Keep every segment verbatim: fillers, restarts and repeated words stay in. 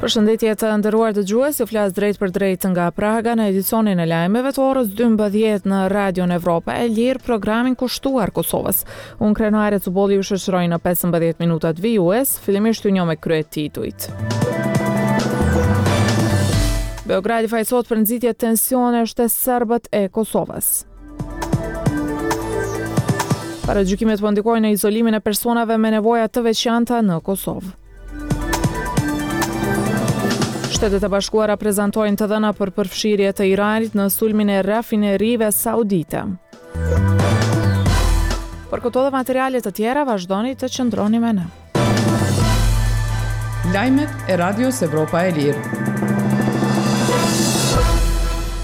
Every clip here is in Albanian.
Përshëndetje të nderuar dëgjues, ju flas drejtpërdrejt nga Praga në edicionin e lajmeve të orës dymbëdhjetë në Radion Evropa e Lirë, programin kushtuar Kosovës. Unë Krenare Cubolli ju shoqëroj në pesëmbëdhjetë minutat vijues, fillimisht ju njoh me kryetitujt. Beogradi fajësohet për nxitje tensionesh te serbët e Kosovës. Paragjykimet po ndikojnë në izolimin e personave me nevoja të veçanta në Kosovë. Shtetet e Bashkuara prezantojnë të dhëna për përfshirje të Iranit në sulmin e rafinerive saudite. Për këto dhe materiale të tjera vazhdoni të qëndroni me ne. Lajmet e Radios Evropa e Lirë.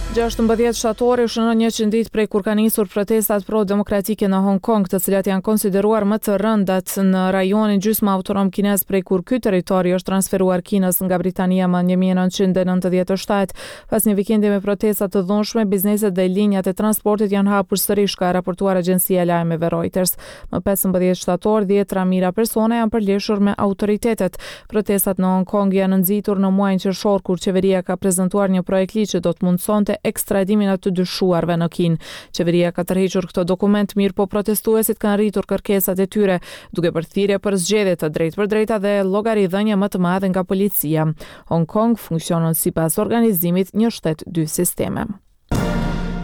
Gjashtëmbëdhjetë shtatori shënon njëqind ditë prej kur kanë nisur protestat pro-demokratike në Hong Kong, të cilat janë konsideruar më të rëndat në rajonin gjysmë autonom kinez prej kur ky territor i është transferuar Kinës nga Britania më një mijë e nëntëqind e nëntëdhjetë e shtatë. Pas një vikendi me protesta të dhunshme, bizneset dhe linjat e transportit janë hapur sërish, ka raportuar agjencia e lajmeve Reuters. Më pesëmbëdhjetë shtator, dhjetëra mijëra persona janë përleshur me autoritetet. Protestat në Hong Kong janë nxitur në muajin qershor, kur qeveria ka prezantuar një projekt ligj që do të mundësonte ekstradimin e të dyshuarve në Kinë. Qeveria ka tërhequr këtë dokument, mirë po protestuesit kanë rritur kërkesat e tyre, duke bërë thirrje për zgjedhje të drejtpërdrejta dhe llogaridhënie më të madhe nga policia. Hong Kong funksionon sipas organizimit një shtet dy sisteme.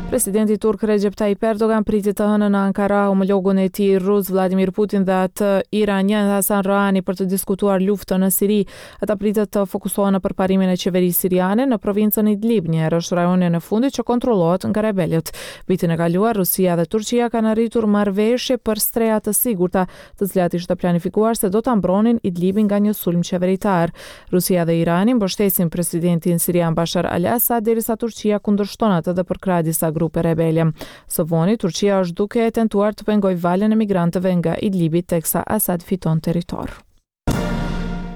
Presidenti turk Recep Tayyip Erdogan priti të hënën në Ankara homologun e tij rus Vladimir Putin dhe atë iranian Hassan Rouhani për të diskutuar luftën në Siri. Ata pritet të fokusohen në përparimin e qeverisë siriane në provincën Idlib, njëherësh rajonin e fundit që kontrollohet nga rebelët. Vitin e kaluar, Rusia dhe Turqia kanë arritur marrëveshje për streha të sigurta, të cilat ishte planifikuar se do ta mbronin Idlibin nga një sulm qeveritar. Rusia dhe Irani mbështesin presidentin sirian Bashar al-Assad, derisa Turqia kundërshton atë dhe përkrah disa grupe rebele. Së voni, Turqia është duke e tentuar të pengojë valën e migrantëve nga Idlibi teksa Assad fiton territor.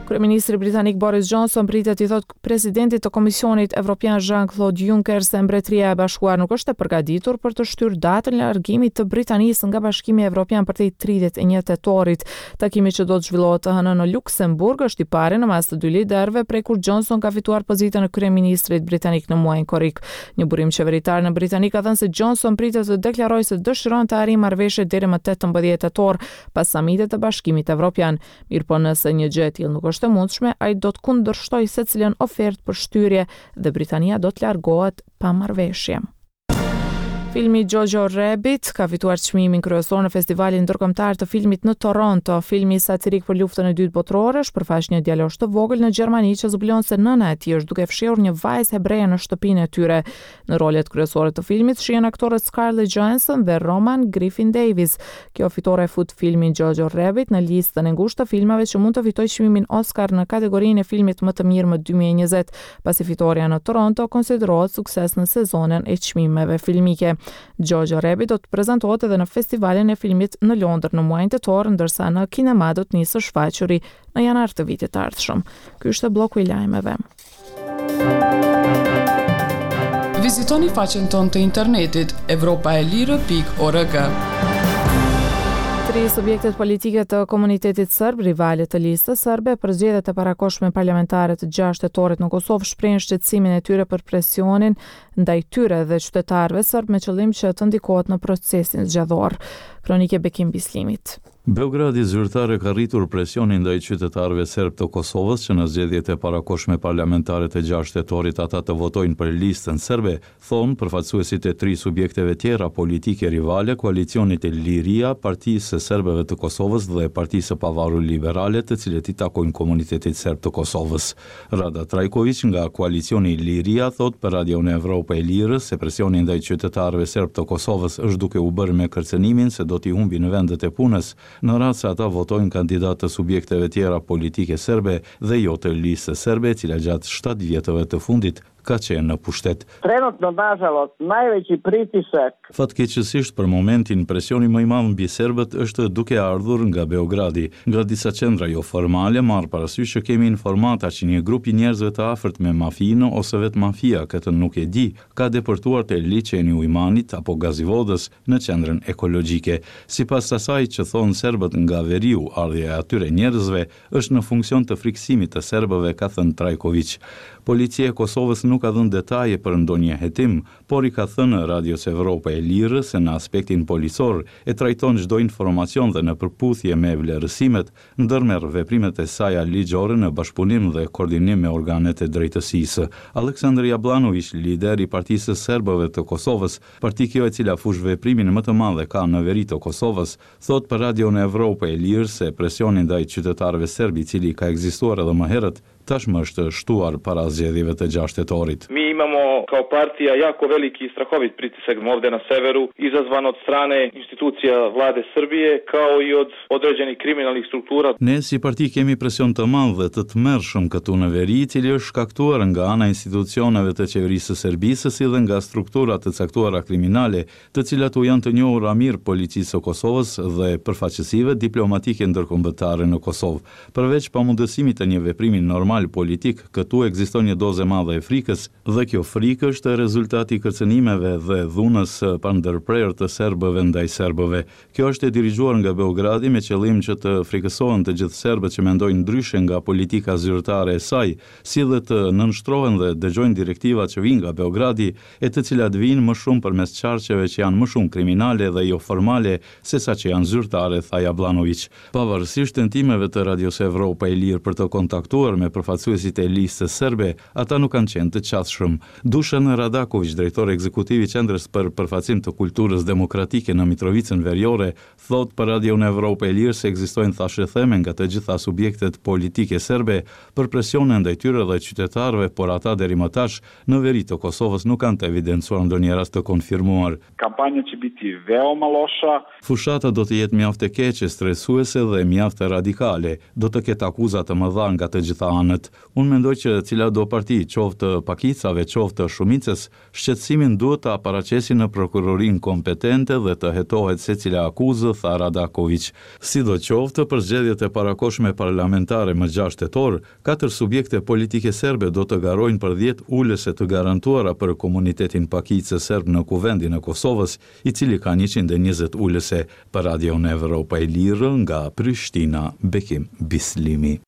Kryeministri britanik Boris Johnson pritet i thot presidentit të Komisionit Evropian Jean-Claude Juncker se Mbretëria e Bashkuar nuk është e përgatitur për të shtyrë datën e largimit të Britanisë nga Bashkimi Evropian për te tridhjetë e një tetorit. Takimi që do të zhvillohet të hënën në Luksemburg është i pari në mas të dy liderëve prej kur Johnson ka fituar pozitën e kryeministrit britanik në muajin korrik. Një burim qeveritar në Britani ka thënë se Johnson pritet të deklarojë se dëshiron të arrijë marrëveshje deri më tetëmbëdhjetë tetor pas samitit të Bashkimit Evropian. Mirëpo nëse një gjë e tillë nuk është e mundshme, ai do të kundërshtojë secilën ofertë për shtyrje dhe Britania do të largohet pa marrëveshje. Filmi Jojo Rabbit ka fituar çmimin kryesor në Festivalin Ndërkombëtar të Filmit në Toronto. Filmi satirik për luftën e dytë botërore shpërfaq një djalosh të vogël në Gjermani që zbulon se nëna e tij është duke fshehur një vajzë hebreje në shtëpinë e tyre. Në rolet kryesore të filmit shihen aktorët Scarlett Johansson dhe Roman Griffin Davis. Kjo fitore fut filmin Jojo Rabbit në listën e ngushtë të filmave që mund të fitojë çmimin Oscar në kategorinë e filmit më të mirë më dy mijë e njëzet, pasi fitorja në Toronto konsiderohet sukses në sezonin e çmimeve filmike. Jojo Rabbit do të prezantohet edhe në festivalin e filmit në Londër në muajin tetor, ndërsa në kinema do të nisë së shfaquri në janar të vitit të ardhshëm. Ky ishte bloku i lajmeve. Vizitoni faqen tonë të internetit evropa e lirë pikë org. Tri subjektet politike të komunitetit serb, rivale të listës serbe, për zgjedhjet e parakohshme parlamentare të gjashtë tetorit në Kosovë shprehin shqetësimin e tyre për presionin ndaj tyre dhe qytetarëve serb me qëllim që të ndikohet në procesin zgjedhor. Kronike Bekim Bislimit. Beogradi zyrtar e ka rritur presionin ndaj qytetarëve serb të Kosovës që në zgjedhjet e parakohshme parlamentare të gjashtë tetorit ata të votojnë për listën serbe, thonë përfaqësuesit e tri subjekteve tjera politike rivale, koalicionit Liria, Partisë së Serbëve të Kosovës dhe Partisë së Pavarur Liberale, të cilët i takojnë komunitetit serb të Kosovës. Rada Trajković nga koalicioni Liria thotë për Radion Evropa e Lirë se presioni ndaj qytetarëve serb të Kosovës është duke u bërë me kërcënimin se do t'i humbin vendet e punës në rast se ata votojnë kandidatë të subjekteve tjera politike serbe dhe jo të listës serbe, e cila gjatë shtatë vjetëve të fundit ka qenë në pushtet. Trenutno, nažalost, najveći pritisak Fatkeqësisht për momentin presioni më i madh mbi serbët është duke ardhur nga Beogradi, nga disa qendra joformale, marrë parasysh që kemi informata që një grup i njerëzve të afërt me mafinë ose vetë mafia, këtë nuk e di, ka depërtuar te liqeni i Ujmanit apo Gazivodës në qendrën ekologjike. Sipas asaj që thonë serbët nga veriu, ardhja e atyre njerëzve është në funksion të frikësimit të serbëve, ka thënë Trajkoviq. Policia e Kosovës nuk ka dhënë detaje për ndonjë hetim, por i ka thënë Radios Evropa e Lirë se në aspektin policor e trajton çdo informacion dhe në përputhje me vlerësimet, ndërmerr veprimet e saja ligjore në bashkëpunim dhe koordinim me organet e drejtësisë. Aleksandr Jablanoviq, lider i Partisë së Serbëve të Kosovës, parti kjo e cila fushëveprimin më të madh e ka në veri të Kosovës, thotë për Radion Evropa e Lirë se presioni ndaj qytetarëve serbë, i cili ka ekzistuar edhe më herët, tashmë është shtuar para zgjedhjeve të gjashtë tetorit. Mi imamo kao partija jako veliki i strahovit pritisak ovde na severu, izazvan od strane institucija vlade Srbije, kao i od određenih kriminalnih struktura. Ne si parti kemi presion të madh dhe të tmerrshëm këtu në veri, i cili është shkaktuar nga ana e institucioneve të qeverisë së Serbisë, si dhe nga struktura të caktuara kriminale, të cilat u janë të njohura mirë policisë së Kosovës dhe përfaqësive diplomatike ndërkombëtare në Kosovë. Përveç pamundësimit të një veprimi normal politik, këtu ekziston një dozë e madhe e frikës, dhe kjo frikë është rezultati i kërcënimeve dhe dhunës së pandërprerë të serbëve ndaj serbëve. Kjo është e dirigjuar nga Beogradi me qëllim që të frikësohen të gjithë serbët që mendojnë ndryshe nga politika zyrtare e saj, si dhe të nënshtrohen dhe dëgjojnë direktivat që vijnë nga Beogradi, e të cilat vijnë më shumë përmes qarqeve që janë më shumë kriminale dhe jo formale sesa që janë zyrtare, tha Jablanoviq. Pavarësisht tentimeve të Radios Evropa e Lirë për të kontaktuar me përfaqësuesit e listës serbe, ata nuk kanë qenë të qasshëm. Dushan Radakoviq, drejtor ekzekutiv i Qendrës për Përfaqësim të Kulturës Demokratike në Mitrovicën Veriore, thotë për Radion Evropa e Lirë se ekzistojnë thashetheme nga të gjitha subjektet politike serbe për presione ndaj tyre dhe qytetarëve, por ata deri më tash në veri të Kosovës nuk kanë të evidencuar ndonjë rast të konfirmuar. Kampanja će biti veoma loša. Fushata do të jetë mjaft e keqe, stresuese dhe mjaft radikale. Do të ketë akuza të mëdha nga të gjitha anët. Unë mendoj që cila do parti, qoftë të pakicave, qoftë të shumicës, shqetësimin duhet ta paraqesin në prokurorinë kompetente dhe të hetohet secila akuzë, tha Radakoviq. Sidoqoftë, për zgjedhjet e parakohshme parlamentare më gjashtë tetor, katër subjekte politike serbe do të garojnë për dhjetë ulëse të garantuara për komunitetin pakicë serb në Kuvendin e Kosovës, i cili ka njëqind e njëzet ulëse. Për Radion Evropa e Lirë nga Prishtina, Bekim Bislimi.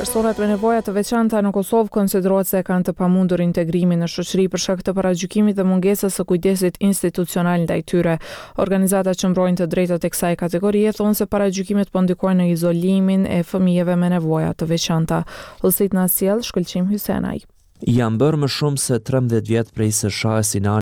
Personat me nevoja të veçanta në Kosovë konsiderohet se kanë të pamundur integrimin në shoqëri për shkak të paragjykimit dhe mungesës së kujdesit institucional ndaj tyre. Organizatat që mbrojnë të drejtat e kësaj kategorie thonë se paragjykimet po ndikojnë në izolimin e fëmijëve me nevoja të veçanta. Hollësitë na sjell Shkëlqim Hysenaj. Janë bërë më shumë se trembëdhjetë vjet prej se Shah Sinani